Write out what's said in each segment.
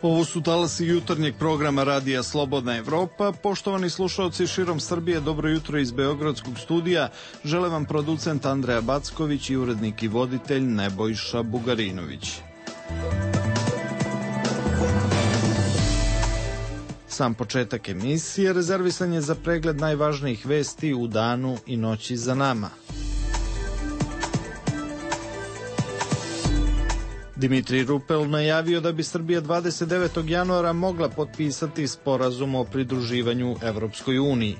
Ovo su talasi jutarnjeg programa Radija Slobodna Evropa. Poštovani slušalci širom Srbije, dobro jutro iz Beogradskog studija. Žele vam producent Andreja Backović i urednik i voditelj Nebojša Bugarinović. Sam početak emisije rezervisan je za pregled najvažnijih vesti u danu i noći za nama. Dimitrij Rupel najavio da bi Srbija 29. januara mogla potpisati sporazum o pridruživanju Evropskoj uniji.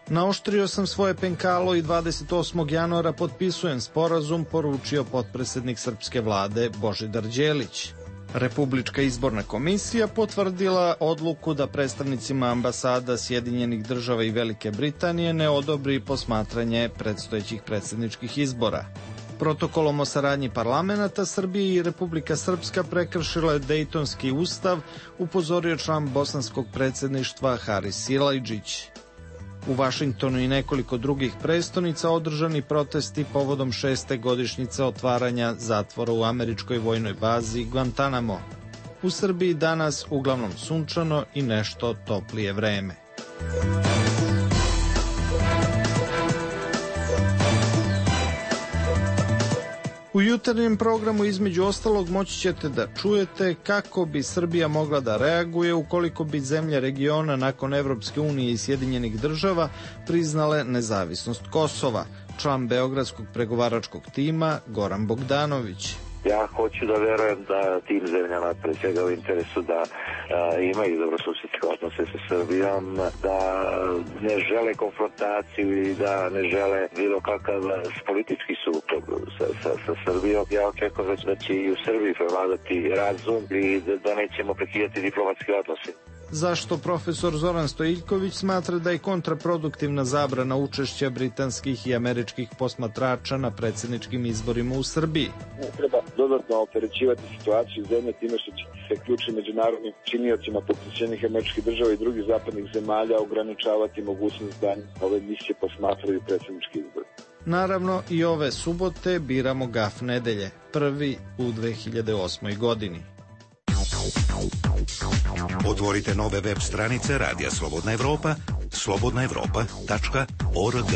Naoštrio sam svoje penkalo i 28. januara potpisujem sporazum, poručio potpredsednik srpske vlade Božidar Đelić. Republička izborna komisija potvrdila odluku da predstavnicima ambasada Sjedinjenih država i Velike Britanije ne odobri posmatranje predstojećih predsjedničkih izbora. Protokolom o saradnji parlamenata Srbije i Republika Srpska prekršila je Dejtonski ustav, upozorio član bosanskog predsjedništva Haris Silajdžić. U Vašingtonu i nekoliko drugih prestonica održani protesti povodom 6. godišnjice otvaranja zatvora u američkoj vojnoj bazi Guantanamo. U Srbiji danas uglavnom sunčano i nešto toplije vreme. U jutarnjem programu između ostalog moći ćete da čujete kako bi Srbija mogla da reaguje ukoliko bi zemlje regiona nakon Evropske unije i Sjedinjenih država priznale nezavisnost Kosova. Član beogradskog pregovaračkog tima Goran Bogdanović. Ja hoću da verujem da tim zemljama pre svega u interesu da imaju dobrosusedske odnose sa Srbijom, da ne žele konfrontaciju i da ne žele bilo kakav politički sukob sa Srbijom. Ja očekujem da će i u Srbiji prevladati razum i da nećemo prekidati diplomatske odnose. Zašto profesor Zoran Stojiljković smatra da je kontraproduktivna zabrana učešća britanskih i američkih posmatrača na predsjedničkim izborima u Srbiji? Ne treba dodatno opterećivati situaciju zemlje time što će se ključnim međunarodnim činiocima poput Sjedinjenih Američkih Država i drugih zapadnih zemalja ograničavati mogućnost da ove misije posmatraju predsjednički izbor. Naravno, i ove subote biramo GAF nedelje, prvi u 2008. godini. Otvorite nove web stranice Radija Slobodna Evropa, slobodnaevropa.org.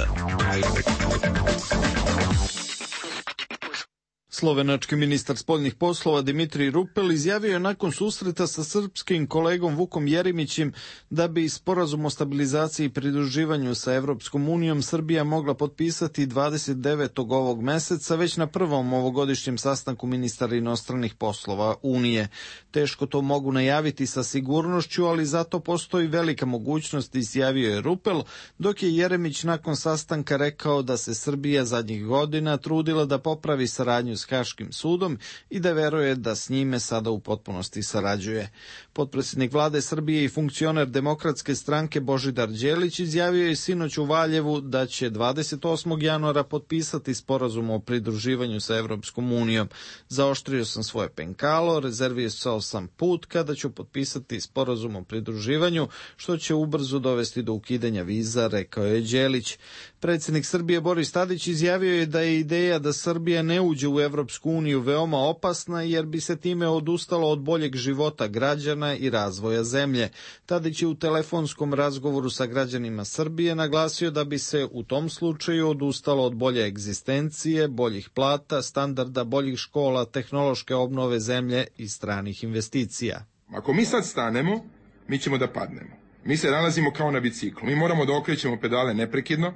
Slovenački ministar spoljnih poslova Dimitrij Rupel izjavio je nakon susreta sa srpskim kolegom Vukom Jeremićem da bi sporazum o stabilizaciji i pridruživanju sa Evropskom unijom Srbija mogla potpisati 29. ovog meseca već na prvom ovogodišnjem sastanku ministara inostranih poslova Unije. Teško to mogu najaviti sa sigurnošću, ali zato postoji velika mogućnost, izjavio je Rupel, dok je Jeremić nakon sastanka rekao da se Srbija zadnjih godina trudila da popravi saradnju s Haškim sudom i da veruje da s njime sada u potpunosti sarađuje. Potpredsjednik vlade Srbije i funkcioner Demokratske stranke Božidar Đelić izjavio je sinoć u Valjevu da će 28. januara potpisati sporazum o pridruživanju sa Evropskom unijom. Zaoštrio sam svoje penkalo, rezervisao sam put kada ću potpisati sporazum o pridruživanju, što će ubrzo dovesti do ukidanja viza, rekao je Đelić. Predsjednik Srbije Boris Tadić izjavio je da je ideja da Srbija ne uđe u Evropsku uniju veoma opasna jer bi se time odustalo od boljeg života građana i razvoja zemlje. Tadić je u telefonskom razgovoru sa građanima Srbije naglasio da bi se u tom slučaju odustalo od bolje egzistencije, boljih plata, standarda, boljih škola, tehnološke obnove zemlje i stranih investicija. Ako mi sad stanemo, mi ćemo da padnemo. Mi se nalazimo kao na biciklu. Mi moramo da okrećemo pedale neprekidno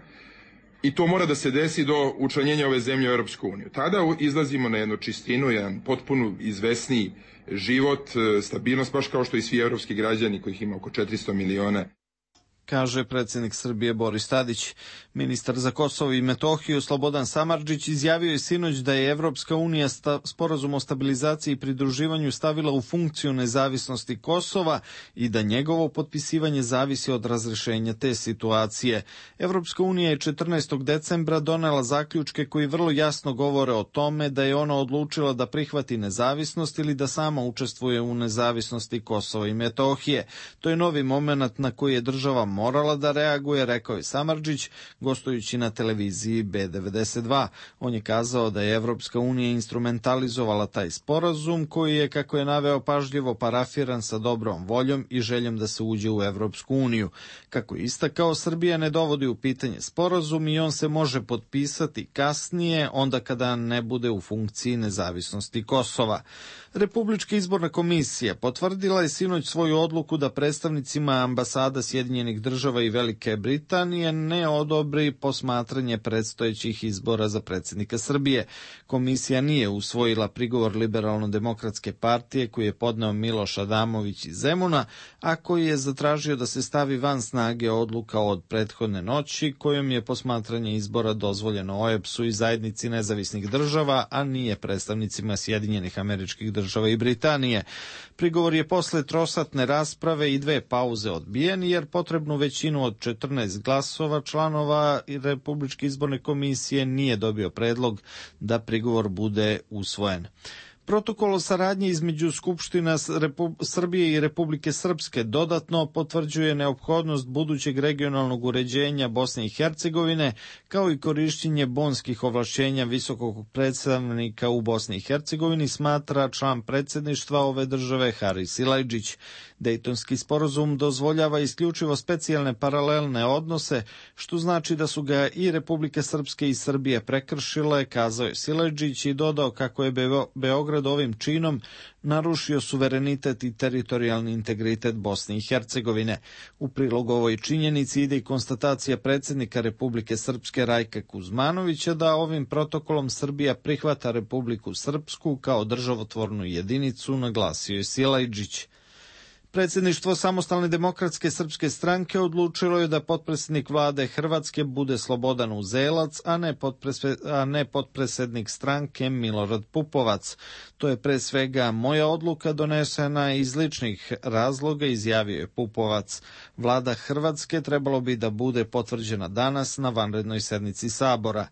i to mora da se desi do učlanjenja ove zemlje u Europsku uniju. Tada izlazimo na jednu čistinu, jedan potpuno izvesniji život, stabilnost, baš kao što i svi evropski građani kojih ima oko 400 miliona. Kaže predsjednik Srbije Boris Tadić. Ministar za Kosovo i Metohiju Slobodan Samardžić izjavio je sinoć da je Evropska unija sporazum o stabilizaciji i pridruživanju stavila u funkciju nezavisnosti Kosova i da njegovo potpisivanje zavisi od razrešenja te situacije. Evropska unija je 14. decembra donela zaključke koji vrlo jasno govore o tome da je ona odlučila da prihvati nezavisnost ili da sama učestvuje u nezavisnosti Kosova i Metohije. To je novi moment na koji je država morala da reaguje, rekao je Samardžić, gostujući na televiziji B92. On je kazao da je Evropska unija instrumentalizovala taj sporazum koji je, kako je naveo, pažljivo parafiran sa dobrom voljom i željom da se uđe u Evropsku uniju. Kako je istakao, Srbija ne dovodi u pitanje sporazum i on se može potpisati kasnije, onda kada ne bude u funkciji nezavisnosti Kosova. Republička izborna komisija potvrdila je sinoć svoju odluku da predstavnicima ambasada Sjedinjenih Država i Velike Britanije ne odobri posmatranje predstojećih izbora za predsjednika Srbije. Komisija nije usvojila prigovor Liberalno-demokratske partije koji je podneo Miloš Adamović iz Zemuna, a koji je zatražio da se stavi van snage odluka od prethodne noći kojom je posmatranje izbora dozvoljeno OEBS-u i zajednici nezavisnih država, a nije predstavnicima Sjedinjenih Američkih Država i Britanije. Prigovor je posle trosatne rasprave i 2 pauze odbijen, jer potrebnu većinu od 14 glasova članova Republičke izborne komisije nije dobio predlog da prigovor bude usvojen. Protokol o saradnji između Skupština Srbije i Republike Srpske dodatno potvrđuje neophodnost budućeg regionalnog uređenja Bosne i Hercegovine, kao i korišćenje bonskih ovlašćenja visokog predstavnika u Bosni i Hercegovini, smatra član predsjedništva ove države Haris Silajdžić. Dejtonski sporazum dozvoljava isključivo specijalne paralelne odnose, što znači da su ga i Republike Srpske i Srbije prekršile, kazao je Silajdžić i dodao kako je Beograd ovim činom narušio suverenitet i teritorijalni integritet Bosne i Hercegovine. U prilog ovoj činjenici ide i konstatacija predsjednika Republike Srpske Rajka Kuzmanovića da ovim protokolom Srbija prihvata Republiku Srpsku kao državotvornu jedinicu, naglasio je Silajdžić. Predsjedništvo Samostalne demokratske srpske stranke odlučilo je da potpredsjednik vlade Hrvatske bude Slobodan Uzelac, a ne potpredsjednik stranke Milorad Pupovac. To je pre svega moja odluka donesena iz ličnih razloga, izjavio je Pupovac. Vlada Hrvatske trebalo bi da bude potvrđena danas na vanrednoj sednici Sabora.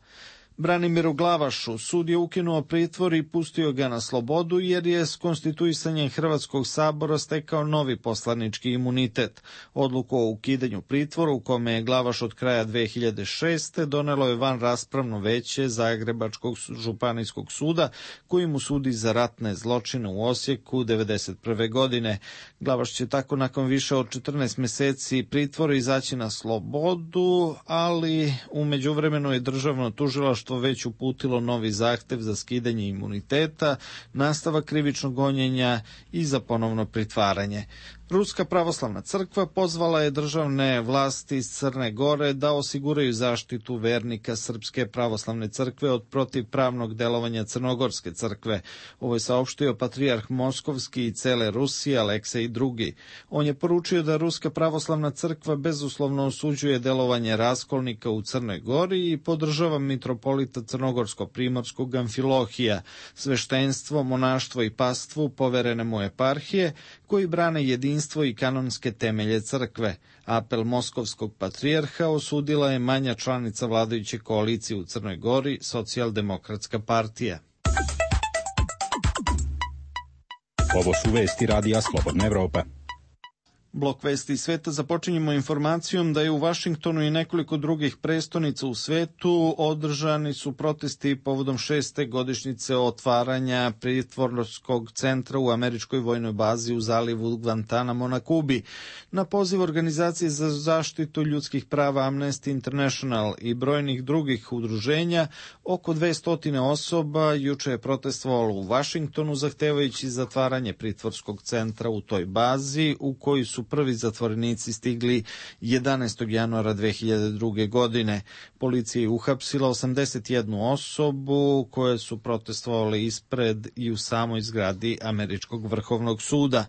Branimiru Glavašu sud je ukinuo pritvor i pustio ga na slobodu jer je s konstituisanjem Hrvatskog sabora stekao novi poslanički imunitet. Odluku o ukidanju pritvora u kome je Glavaš od kraja 2006. donelo je van raspravno veće Zagrebačkog županijskog suda koji mu sudi za ratne zločine u Osijeku 1991. godine. Glavaš će tako nakon više od 14 meseci pritvora izaći na slobodu, ali u međuvremenu je državno tužilaštvo već uputilo novi zahtev za skidanje imuniteta, nastavak krivičnog gonjenja i za ponovno pritvaranje. Ruska pravoslavna crkva pozvala je državne vlasti iz Crne Gore da osiguraju zaštitu vernika Srpske pravoslavne crkve od protivpravnog delovanja Crnogorske crkve. Ovo je saopštio patrijarh Moskovski i cele Rusije Aleksej II. On je poručio da Ruska pravoslavna crkva bezuslovno osuđuje delovanje raskolnika u Crnoj Gori i podržava mitropolita Crnogorsko-primorskog Amfilohija, sveštenstvo, monaštvo i pastvu poverene mu eparhije, koji brane jedinstvo i kanonske temelje crkve. Apel moskovskog patrijarha osudila je manja članica vladajuće koalicije u Crnoj Gori, Socijaldemokratska partija. Ovo su vesti Radija Slobodna Evropa. Blok vesti sveta započinjemo informacijom da je u Vašingtonu i nekoliko drugih prestonica u svetu održani su protesti povodom 6. godišnjice otvaranja pritvorskog centra u američkoj vojnoj bazi u zalivu Guantanamo na Kubi. Na poziv Organizacije za zaštitu ljudskih prava Amnesty International i brojnih drugih udruženja, oko 200 osoba juče je protestovalo u Vašingtonu zahtevajući zatvaranje pritvorskog centra u toj bazi u koji su prvi zatvorenici stigli 11. januara 2002. godine. Policija je uhapsila 81 osobu koje su protestovali ispred i u samoj zgradi Američkog vrhovnog suda.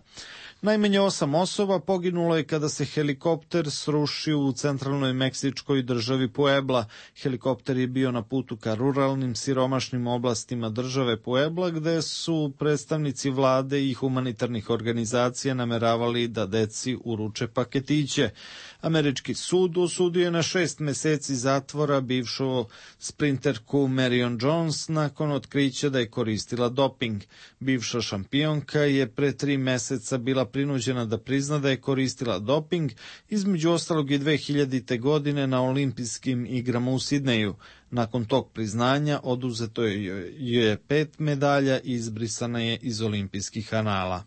Najmanje 8 osoba poginulo je kada se helikopter srušio u centralnoj meksičkoj državi Puebla. Helikopter je bio na putu ka ruralnim, siromašnim oblastima države Puebla, gde su predstavnici vlade i humanitarnih organizacija nameravali da deci uruče paketiće. Američki sud osudio je na 6 meseci zatvora bivšu sprinterku Marion Jones nakon otkrića da je koristila doping. Bivša šampionka je pre 3 meseca bila prinuđena da prizna da je koristila doping, između ostalog i 2000. godine na olimpijskim igrama u Sidneju. Nakon tog priznanja oduzeto je 5 medalja i izbrisana je iz olimpijskih anala.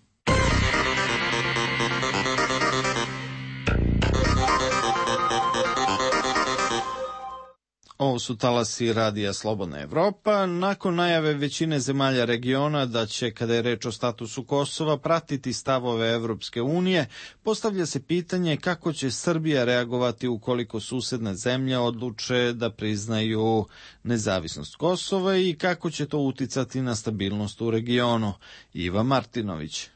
Ovo su talasi Radija Slobodna Evropa. Nakon najave većine zemalja regiona da će, kada je reč o statusu Kosova, pratiti stavove Evropske unije, postavlja se pitanje kako će Srbija reagovati ukoliko susedne zemlje odluče da priznaju nezavisnost Kosova i kako će to uticati na stabilnost u regionu. Iva Martinović.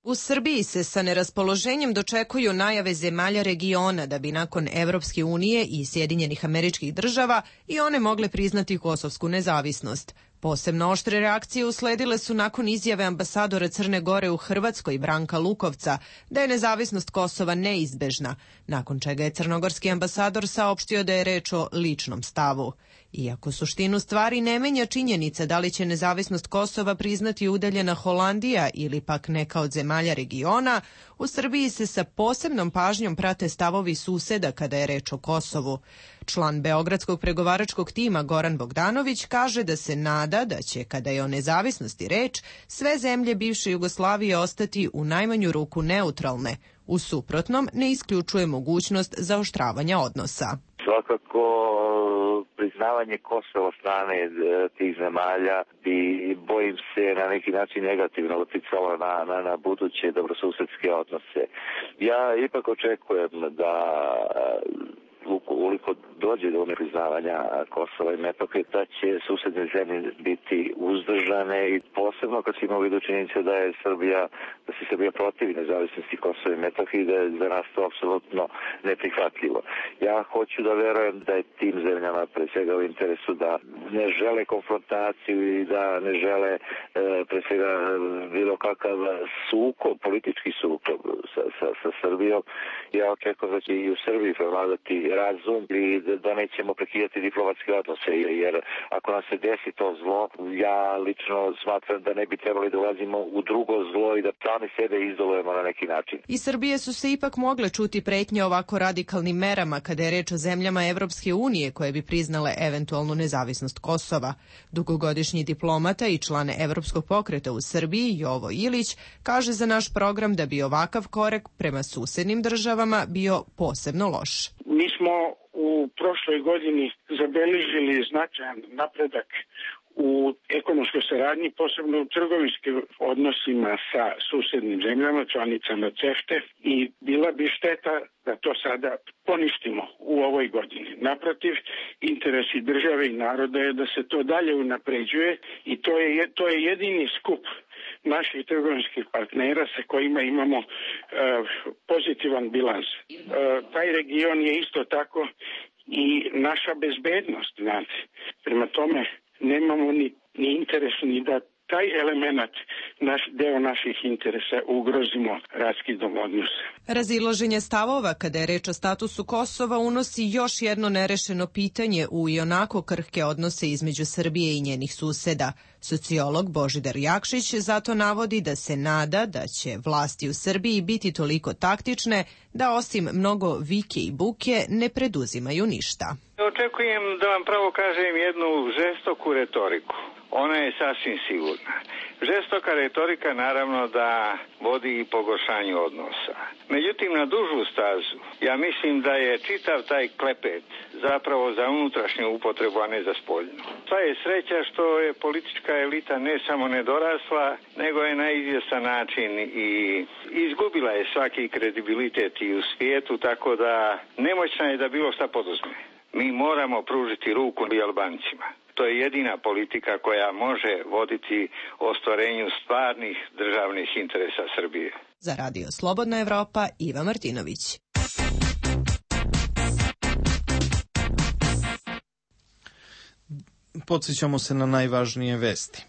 U Srbiji se sa neraspoloženjem dočekuju najave zemalja regiona da bi nakon Evropske unije i Sjedinjenih Američkih Država i one mogle priznati kosovsku nezavisnost. Posebno oštre reakcije usledile su nakon izjave ambasadora Crne Gore u Hrvatskoj Branka Lukovca da je nezavisnost Kosova neizbežna, nakon čega je crnogorski ambasador saopštio da je reč o ličnom stavu. Iako suštinu stvari ne menja činjenica da li će nezavisnost Kosova priznati udaljena Holandija ili pak neka od zemalja regiona, u Srbiji se sa posebnom pažnjom prate stavovi suseda kada je reč o Kosovu. Član Beogradskog pregovaračkog tima Goran Bogdanović kaže da se nada da će, kada je o nezavisnosti reč, sve zemlje bivše Jugoslavije ostati u najmanju ruku neutralne. U suprotnom ne isključuje mogućnost zaoštravanja odnosa. Svakako priznavanje Kosova od strane tih zemalja bi, bojim se, na neki način negativno uticalo na buduće dobrosusedske odnose. Ja ipak očekujem da ukoliko dođe do nepriznavanja Kosova i Metohije, da će susedne zemlje biti uzdržane i posebno kad se ima u vidu činjenica da se Srbija protivi nezavisnosti Kosova i Metohije, da je za nas to apsolutno neprihvatljivo. Ja hoću da verujem da je tim zemljama pre svega u interesu da ne žele konfrontaciju i da ne žele pre svega bilo kakav sukob, politički sukob sa Srbijom. Ja očekujem da će i u Srbiji prevladati razum i da nećemo prekidati diplomatske odnose, jer ako nam se desi to zlo, ja lično smatram da ne bi trebali da ulazimo u drugo zlo i da sami sebe izolujemo na neki način. Iz Srbije su se ipak mogle čuti pretnje ovako radikalnim merama kada je reč o zemljama Evropske unije koje bi priznale eventualnu nezavisnost Kosova. Dugogodišnji diplomata i član Evropskog pokreta u Srbiji, Jovo Ilić, kaže za naš program da bi ovakav korak prema susednim državama bio posebno loš. Mi smo u prošloj godini zabeležili značajan napredak u ekonomskoj saradnji, posebno u trgovinskim odnosima sa susednim zemljama, članicama CEFTA, i bila bi šteta da to sada poništimo u ovoj godini. Naprotiv, interesi države i naroda je da se to dalje unapređuje i to je jedini skup naših trgovinskih partnera sa kojima imamo pozitivan bilans. Taj region je isto tako i naša bezbednost. Znate. Prema tome nemamo ni interes ni da taj element, deo naših interesa, ugrozimo raskidom odnosa. Razilaženje stavova kada je reč o statusu Kosova unosi još jedno nerešeno pitanje u ionako krhke odnose između Srbije i njenih suseda. Sociolog Božidar Jakšić zato navodi da se nada da će vlasti u Srbiji biti toliko taktične da osim mnogo vike i buke ne preduzimaju ništa. Očekujem da vam pravo kažem jednu žestoku retoriku. Ona je sasvim sigurna. Žestoka retorika naravno da vodi i pogoršanju odnosa. Međutim, na dužu stazu, ja mislim da je čitav taj klepet zapravo za unutrašnju upotrebu, a ne za spoljnu. Sva je sreća što je politička elita ne samo nedorasla, nego je na izvjestan način i izgubila je svaki kredibilitet i u svijetu, tako da nemoćna je da bilo šta poduzme. Mi moramo pružiti ruku i Albancima. To je jedina politika koja može voditi ostvarenju stvarnih državnih interesa Srbije. Za Radio Slobodna Evropa, Iva Martinović. Podsjećamo se na najvažnije vesti.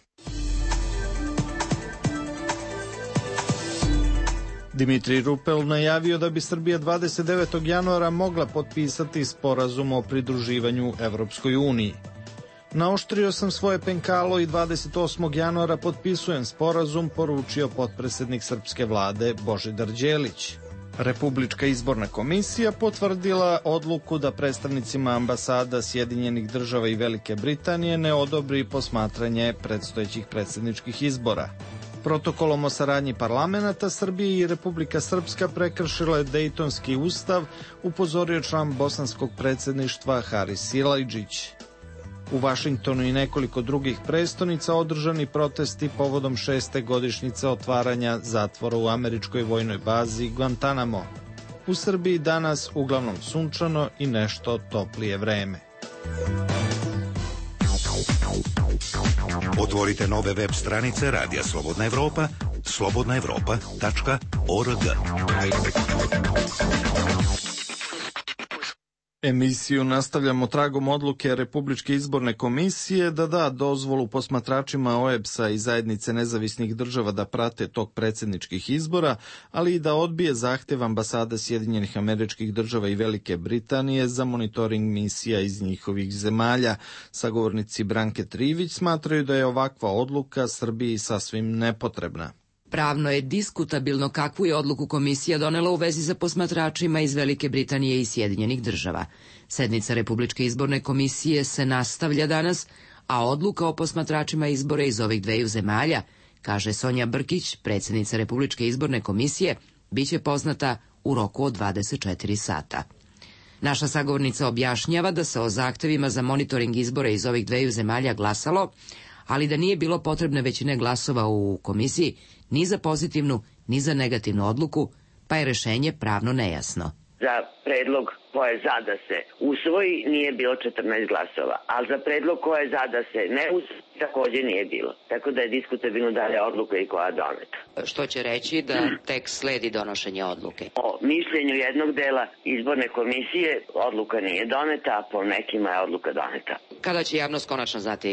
Dimitrij Rupel najavio da bi Srbija 29. januara mogla potpisati sporazum o pridruživanju Evropskoj uniji. Naoštrio sam svoje penkalo i 28. januara potpisujem sporazum, poručio potpredsednik srpske vlade Božidar Đelić. Republička izborna komisija potvrdila odluku da predstavnicima ambasada Sjedinjenih država i Velike Britanije ne odobri posmatranje predstojećih predsjedničkih izbora. Protokolom o saradnji parlamenata Srbije i Republika Srpska prekršila je Dejtonski ustav, upozorio član bosanskog predsjedništva Haris Silajdžić. U Vašingtonu i nekoliko drugih prestonica održani protesti povodom 6. godišnjice otvaranja zatvora u američkoj vojnoj bazi Guantanamo. U Srbiji danas uglavnom sunčano i nešto toplije vreme. Otvorite nove web stranice Radija Slobodna Evropa, slobodnaevropa.org. Emisiju nastavljamo tragom odluke Republičke izborne komisije da da dozvolu posmatračima OEBS-a i zajednice nezavisnih država da prate tok predsjedničkih izbora, ali i da odbije zahtev ambasade Sjedinjenih Američkih Država i Velike Britanije za monitoring misija iz njihovih zemalja. Sagovornici Branke Trivić smatraju da je ovakva odluka Srbiji sasvim nepotrebna. Pravno je diskutabilno kakvu je odluku komisija donela u vezi sa posmatračima iz Velike Britanije i Sjedinjenih država. Sednica Republičke izborne komisije se nastavlja danas, a odluka o posmatračima izbora iz ovih dveju zemalja, kaže Sonja Brkić, predsjednica Republičke izborne komisije, biće poznata u roku od 24 sata. Naša sagovornica objašnjava da se o zahtevima za monitoring izbora iz ovih dveju zemalja glasalo, ali da nije bilo potrebne većine glasova u komisiji ni za pozitivnu, ni za negativnu odluku, pa je rešenje pravno nejasno. Za predlog ko je za da se usvoji nije bilo 14 glasova, ali za predlog ko je za da se ne usvoji takođe nije bilo. Tako da je diskutabilno da je odluka i koja je doneta. Što će reći da tek sledi donošenje odluke? O mišljenju jednog dela izborne komisije odluka nije doneta, a po nekima je odluka doneta. Kada će javnost konačno znati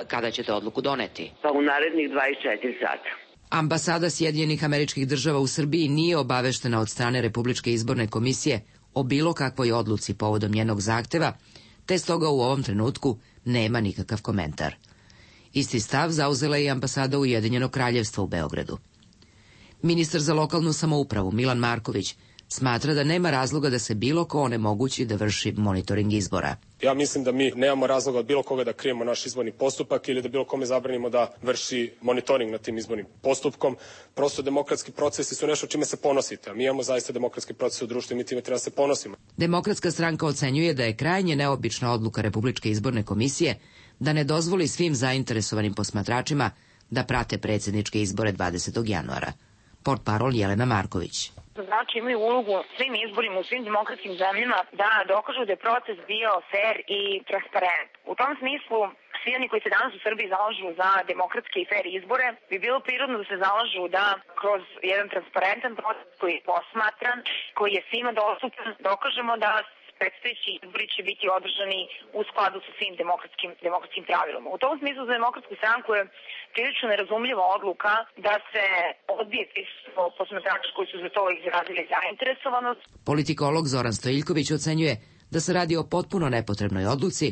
kada ćete odluku doneti? Pa u narednih 24 sata. Ambasada Sjedinjenih Američkih Država u Srbiji nije obaveštena od strane Republičke izborne komisije o bilo kakvoj odluci povodom njenog zahteva, te stoga u ovom trenutku nema nikakav komentar. Isti stav zauzela je i ambasada Ujedinjenog Kraljevstva u Beogradu. Ministar za lokalnu samoupravu Milan Marković smatra da nema razloga da se bilo ko onemogući da vrši monitoring izbora. Ja mislim da mi nemamo razloga od bilo koga da krijemo naš izborni postupak ili da bilo kome zabranimo da vrši monitoring nad tim izbornim postupkom. Prosto demokratski procesi su nešto čime se ponosite, a mi imamo zaista demokratski proces u društvu i mi time treba se ponosimo. Demokratska stranka ocenjuje da je krajnje neobična odluka Republičke izborne komisije da ne dozvoli svim zainteresovanim posmatračima da prate predsjedničke izbore 20. januara. Portparol Jelena Marković. Znači imaju ulogu svim izborima u svim demokratskim zemljama da dokažu da je proces bio fair i transparent. U tom smislu svi oni koji se danas u Srbiji zalažu za demokratske i fair izbore bi bilo prirodno da se zalažu da kroz jedan transparentan proces koji je posmatran, koji je svima dostupan, dokažemo da predstojeći izbori će biti održani u skladu sa svim demokratskim pravilima. U tom smislu za demokratsku stranku je prilično nerazumljiva odluka da se odbije posmatrača koji su za to izrazili zainteresovanost. Politikolog Zoran Stojiljković ocenjuje da se radi o potpuno nepotrebnoj odluci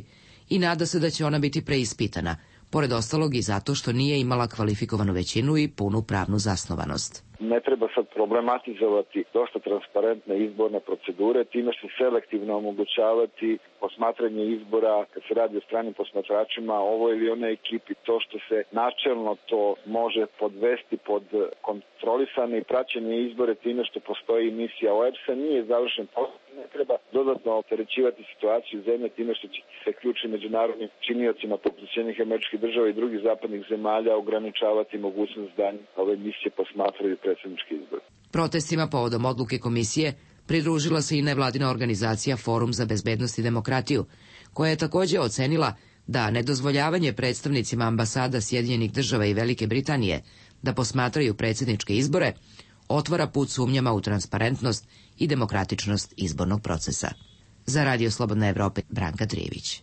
i nada se da će ona biti preispitana, pored ostalog i zato što nije imala kvalifikovanu većinu i punu pravnu zasnovanost. Ne treba sad problematizovati dosta transparentne izborne procedure, time što selektivno omogućavati posmatranje izbora kad se radi o stranim posmatračima, ovo ili one ekipi, to što se načelno to može podvesti pod kontrolisane i praćenje izbore time što postoji misija OEBS-a, nije završen posao. Ne treba dodatno opterećivati situaciju zemlje time što će se ključni međunarodnim činiocima poput Sjedinjenih Američkih Država i drugih zapadnih zemalja ograničavati mogućnost da ove misije posmatraju predsjednički izbor. Protestima povodom odluke komisije pridružila se i nevladina organizacija Forum za bezbednost i demokratiju, koja je također ocenila da nedozvoljavanje predstavnicima ambasada Sjedinjenih Država i Velike Britanije da posmatraju predsjedničke izbore otvara put sumnjama u transparentnost i demokratičnost izbornog procesa. Za Radio Slobodna Evropa, Branka Trivić.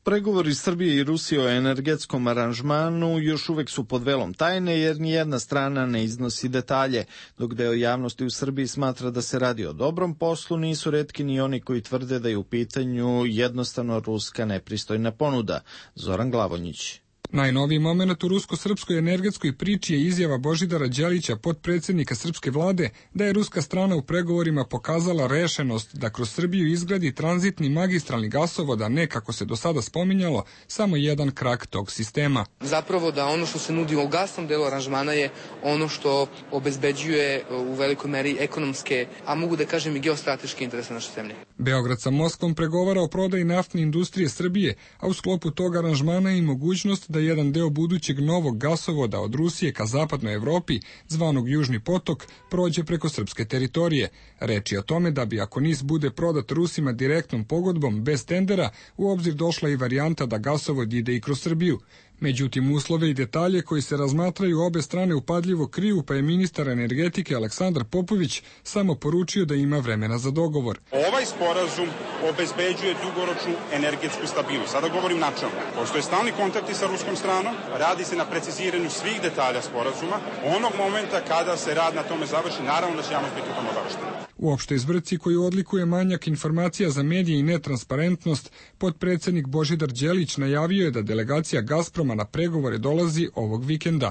Pregovori Srbije i Rusije o energetskom aranžmanu još uvek su pod velom tajne jer nijedna strana ne iznosi detalje. Dok deo javnosti u Srbiji smatra da se radi o dobrom poslu, nisu retki ni oni koji tvrde da je u pitanju jednostavno ruska nepristojna ponuda. Zoran Glavonjić. Najnoviji moment u rusko-srpskoj energetskoj priči je izjava Božidara Đelića, potpredsjednika srpske vlade, da je ruska strana u pregovorima pokazala rešenost da kroz Srbiju izgradi tranzitni magistralni gasovod, a ne, kako se do sada spominjalo, samo jedan krak tog sistema. Zapravo da ono što se nudi u gasnom delu aranžmana je ono što obezbeđuje u velikoj meri ekonomske, a mogu da kažem i geostrateške interese naše zemlje. Beograd sa Moskvom pregovara o prodaji naftne industrije Srbije, a u sklopu tog aranžmana je i mogućnost da jedan deo budućeg novog gasovoda od Rusije ka zapadnoj Evropi, zvanog Južni potok, prođe preko srpske teritorije. Reč je o tome da bi, ako NIS bude prodat Rusima direktnom pogodbom bez tendera, u obzir došla i varijanta da gasovod ide i kroz Srbiju. Međutim, uslove i detalje koji se razmatraju obe strane upadljivo kriju, pa je ministar energetike Aleksandar Popović samo poručio da ima vremena za dogovor. Ovaj sporazum obezbeđuje dugoročnu energetsku stabilnost. Sada govorim načelno. Postoje stalni kontakti sa ruskom stranom, radi se na preciziranju svih detalja sporazuma. Onog momenta kada se rad na tome završi, naravno da će javnost biti o tome obaveštena. U opštoj zbrci koju odlikuje manjak informacija za medije i netransparentnost, potpredsjednik Božidar Đelić najavio je da delegacija Gazproma na pregovore dolazi ovog vikenda.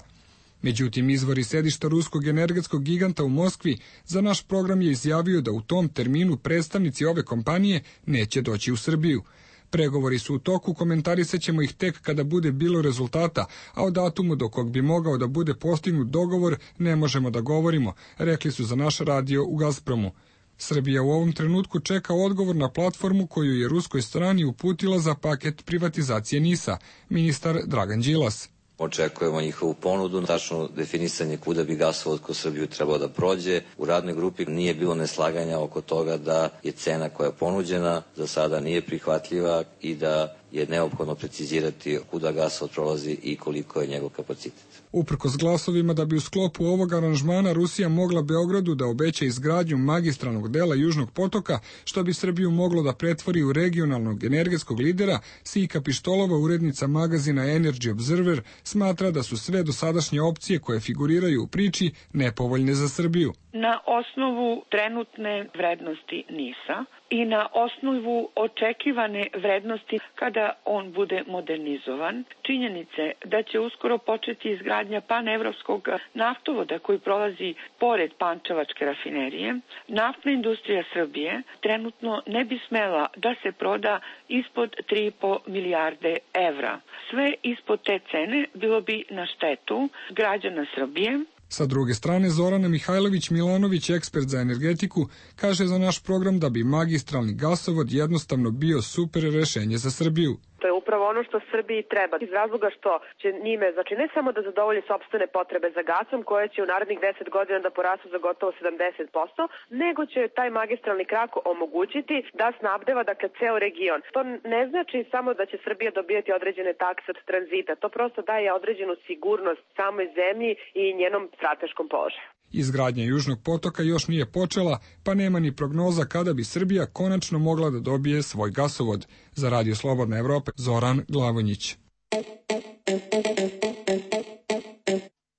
Međutim, izvori sedišta ruskog energetskog giganta u Moskvi za naš program je izjavio da u tom terminu predstavnici ove kompanije neće doći u Srbiju. Pregovori su u toku, komentarisat ćemo ih tek kada bude bilo rezultata, a o datumu do kog bi mogao da bude postignut dogovor ne možemo da govorimo, rekli su za naš radio u Gazpromu. Srbija u ovom trenutku čeka odgovor na platformu koju je ruskoj strani uputila za paket privatizacije NIS-a, ministar Dragan Đilas. Očekujemo njihovu ponudu, tačno definisanje kuda bi gasovod kroz Srbiju trebao da prođe. U radnoj grupi nije bilo neslaganja oko toga da je cena koja je ponuđena za sada nije prihvatljiva i da je neophodno precizirati kuda gasovod prolazi i koliko je njegov kapacitet. Uprkos glasovima da bi u sklopu ovog aranžmana Rusija mogla Beogradu da obeća izgradnju magistralnog dela Južnog potoka, što bi Srbiju moglo da pretvori u regionalnog energetskog lidera, Sika Pištolova, urednica magazina Energy Observer, smatra da su sve dosadašnje opcije koje figuriraju u priči nepovoljne za Srbiju. Na osnovu trenutne vrednosti NIS-a i na osnovu očekivane vrednosti kada on bude modernizovan, činjenice da će uskoro početi izgradnja panevropskog naftovoda koji prolazi pored Pančevačke rafinerije, naftna industrija Srbije trenutno ne bi smela da se proda ispod 3,5 milijarde evra. Sve ispod te cene bilo bi na štetu građana Srbije. Sa druge strane, Zorana Mihajlović-Milanović, ekspert za energetiku, kaže za naš program da bi magistralni gasovod jednostavno bio super rešenje za Srbiju. To je upravo ono što Srbiji treba, iz razloga što će njime, znači ne samo da zadovolji sopstvene potrebe za gasom, koje će u narednih 10 godina da porastu za gotovo 70%, nego će taj magistralni krak omogućiti da snabdeva, dakle, ceo region. To ne znači samo da će Srbija dobijati određene takse od tranzita, to prosto daje određenu sigurnost samoj zemlji i njenom strateškom položaju. Izgradnja Južnog potoka još nije počela, pa nema ni prognoza kada bi Srbija konačno mogla da dobije svoj gasovod. Za Radio Slobodna Evropa, Zoran Glavonjić.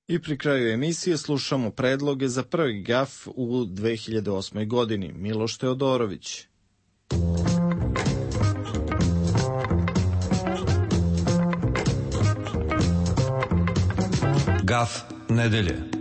I pri kraju emisije slušamo predloge za prvi GAF u 2008. godini. Miloš Teodorović. GAF nedelje.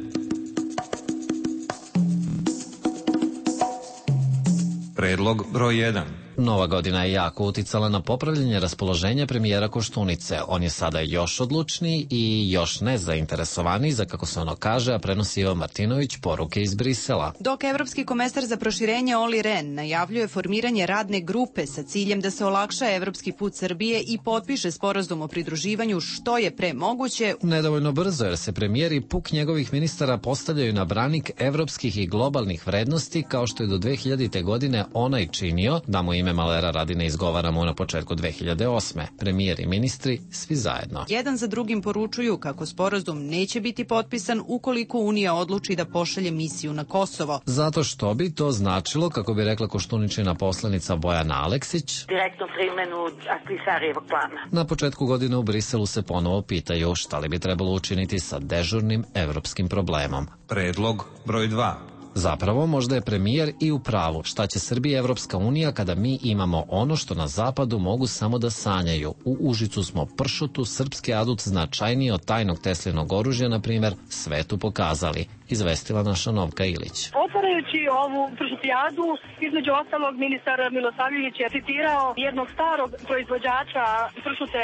Predlog broj 1. Nova godina je jako uticala na popravljanje raspoloženja premijera Koštunice. On je sada još odlučniji i još nezainteresovaniji za, kako se ono kaže, a prenosi Ivan Martinović, poruke iz Brisela. Dok evropski komesar za proširenje Olli Rehn najavljuje formiranje radne grupe sa ciljem da se olakša evropski put Srbije i potpiše sporazum o pridruživanju što je pre moguće. Nedovoljno brzo, jer se premijer i puk njegovih ministara postavljaju na branik evropskih i globalnih vrednosti, kao što je do 2000. godine onaj činio, da mu ime ime malera radi ne izgovaramo na početku 2008. Premijer i ministri, svi zajedno. Jedan za drugim poručuju kako sporazum neće biti potpisan ukoliko Unija odluči da pošalje misiju na Kosovo. Zato što bi to značilo, kako bi rekla Koštuničina poslanica Bojana Aleksić, direktnu primenu Ahtisarijevog plana. Na početku godine u Briselu se ponovo pitaju šta li bi trebalo učiniti sa dežurnim evropskim problemom. Predlog broj 2. Zapravo, možda je premijer i u pravu. Šta će Srbija i Evropska unija kada mi imamo ono što na zapadu mogu samo da sanjaju? U Užicu smo pršutu, srpski adut značajniji od tajnog Teslinog oružja, na primjer, svetu pokazali, izvestila naša Novka Ilić. Otvarajući ovu pršutijadu, između ostalog, ministar Milosavljević je citirao jednog starog proizvođača pršute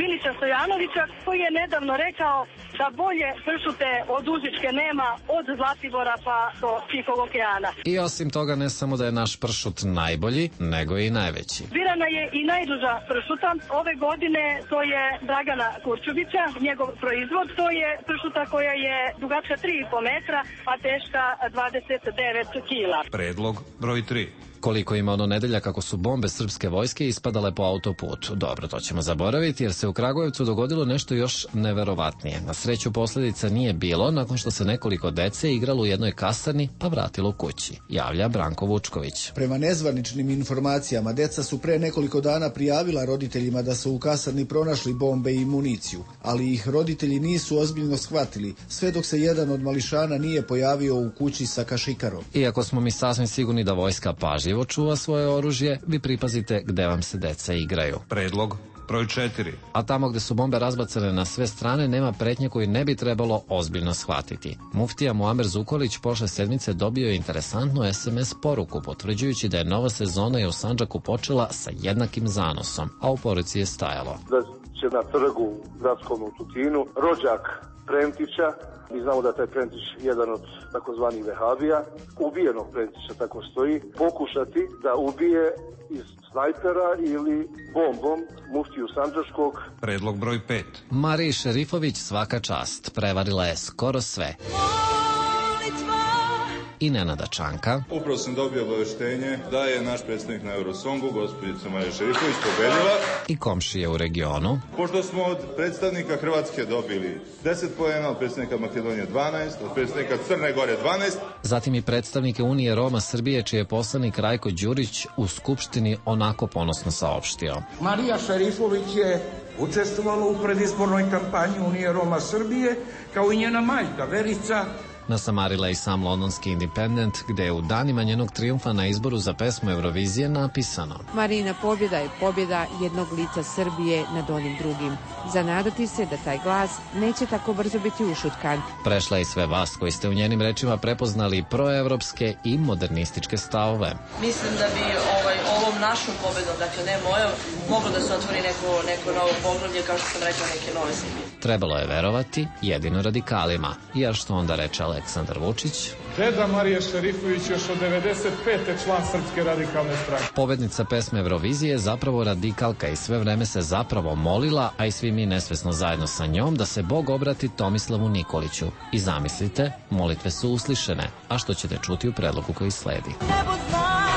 Milića Stojanovića, koji je nedavno rekao da bolje pršute od Užičke nema od Zlatibora pa do Tihog okeana. I osim toga, ne samo da je naš pršut najbolji, nego i najveći. Birana je i najduža pršuta. Ove godine to je Dragana Kurčubića, njegov proizvod. To je pršuta koja je dugačka 3,5 metra, a teška 29 kila. Predlog broj 3. Koliko ima ono nedelja kako su bombe srpske vojske ispadale po autoputu. Dobro, to ćemo zaboraviti jer se u Kragujevcu dogodilo nešto još neverovatnije. Na sreću posljedica nije bilo nakon što se nekoliko dece igralo u jednoj kasarni pa vratilo kući, javlja Branko Vučković. Prema nezvaničnim informacijama, deca su pre nekoliko dana prijavila roditeljima da su u kasarni pronašli bombe i municiju, ali ih roditelji nisu ozbiljno shvatili, sve dok se jedan od mališana nije pojavio u kući sa kašikarom. Iako smo mi sasvim sigurni da vojska pažljivo čuva svoje oružje, vi pripazite gde vam se deca igraju. Predlog broj 4. A tamo gde su bombe razbacane na sve strane nema pretnje koju ne bi trebalo ozbiljno shvatiti. Muftija Muamer Zukorlić prošle sedmice dobio je interesantnu SMS poruku, potvrđujući da je nova sezona i u Sandžaku počela sa jednakim zanosom, a u poruci je stajalo: da će na trgu gradskom u Tutinu rođak Prentića, mi znamo da je taj Prentić jedan od takozvanih vehabija, ubijenog Prentića, tako stoji, pokušati da ubije iz snajpera ili bombom muftiju Sandžačkog. Predlog broj 5. Mariji Šerifović svaka čast, prevarila je skoro sve. I Nenada Čanka. Upravo sam dobio obaveštenje da je naš predstavnik na Eurosongu, gospođica Marija Šerifović, pobedila. I komšije u regionu. Pošto smo od predstavnika Hrvatske dobili 10 poena, od predstavnika Makedonije 12, od predstavnika Crne Gore 12. Zatim i predstavnike Unije Roma Srbije, čiji je poslanik Rajko Đurić u Skupštini onako ponosno saopštio: Marija Šerifović je učestvovala u predizbornoj kampanji Unije Roma Srbije, kao i njena majka Verica. Nasamarila i sam londonski Independent, gde je u danima njenog trijumfa na izboru za pesmu Eurovizije napisano: Marina pobjeda je pobjeda jednog lica Srbije nad onim drugim. Zanadati se da taj glas neće tako brzo biti ušutkan. Prešla i sve vas koji ste u njenim rečima prepoznali proevropske i modernističke stavove. Mislim da bi ovom našom pobedom, dakle ne mojom, moglo da se otvori neko novo poglavlje, kao što sam rekla, neke nove Srbije. Trebalo je verovati jedino radikalima, jer što onda reče Aleksandar Vučić: Deda Marija Šerifović još od 95. član Srpske radikalne stranke. Pobednica pesme Eurovizije je zapravo radikalka i sve vreme se zapravo molila, a i svi mi nesvesno zajedno sa njom, da se Bog obrati Tomislavu Nikoliću. I zamislite, molitve su uslišene, a što ćete čuti u predlogu koji sledi. Nebo zna,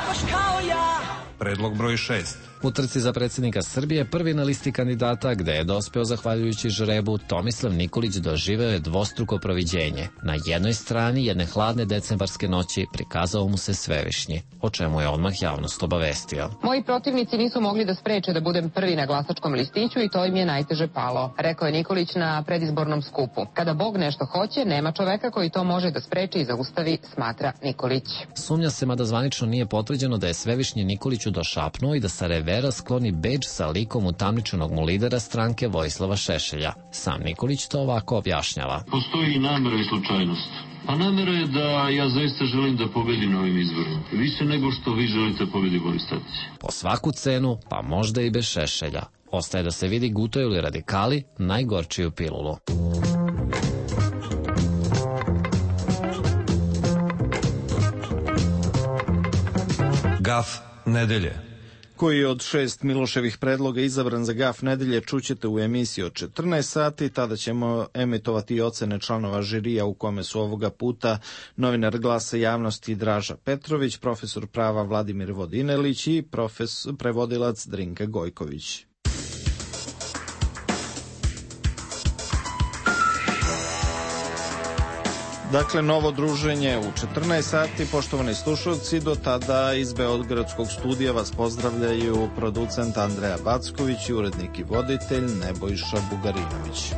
baš kao ja. Predlog broj 6. U trci za predsjednika Srbije prvi na listi kandidata, gde je dospeo zahvaljujući žrebu, Tomislav Nikolić doživeo je dvostruko proviđenje. Na jednoj strani jedne hladne decembarske noći prikazao mu se Svevišnji, o čemu je odmah javnost obavestio. Moji protivnici nisu mogli da spreče da budem prvi na glasačkom listiću i to im je najteže palo, rekao je Nikolić na predizbornom skupu. Kada Bog nešto hoće, nema čoveka koji to može da spreči i zaustavi, smatra Nikolić. Sumnja se, mada zvanično nije potvrđeno, da je Svevišnji Nikoliću došapnuo i da sa revera skloni bedž sa likom utamničenog mu lidera stranke Vojislava Šešelja. Sam Nikolić to ovako objašnjava. Postoji i namera i slučajnost. A namera je da ja zaista želim da pobedim na ovim izborima. Više nego što vi želite da pobedi Boris Tadić. Po svaku cenu, pa možda i bez Šešelja. Ostaje da se vidi gutaju li radikali najgorčiju pilulu. Gaf nedelje. koji je od 6 Miloševih predloga izabran za gaf nedelje, čućete u emisiji od 14 sati. Tada ćemo emitovati i ocene članova žirija u kome su ovoga puta novinar Glasa javnosti Draža Petrović, profesor prava Vladimir Vodinelić i prevodilac Drinka Gojković. Dakle, novo druženje u 14 sati. Poštovani slušalci, do tada iz Beogradskog studija vas pozdravljaju producent Andreja Backović i urednik i voditelj Nebojša Bugarinović.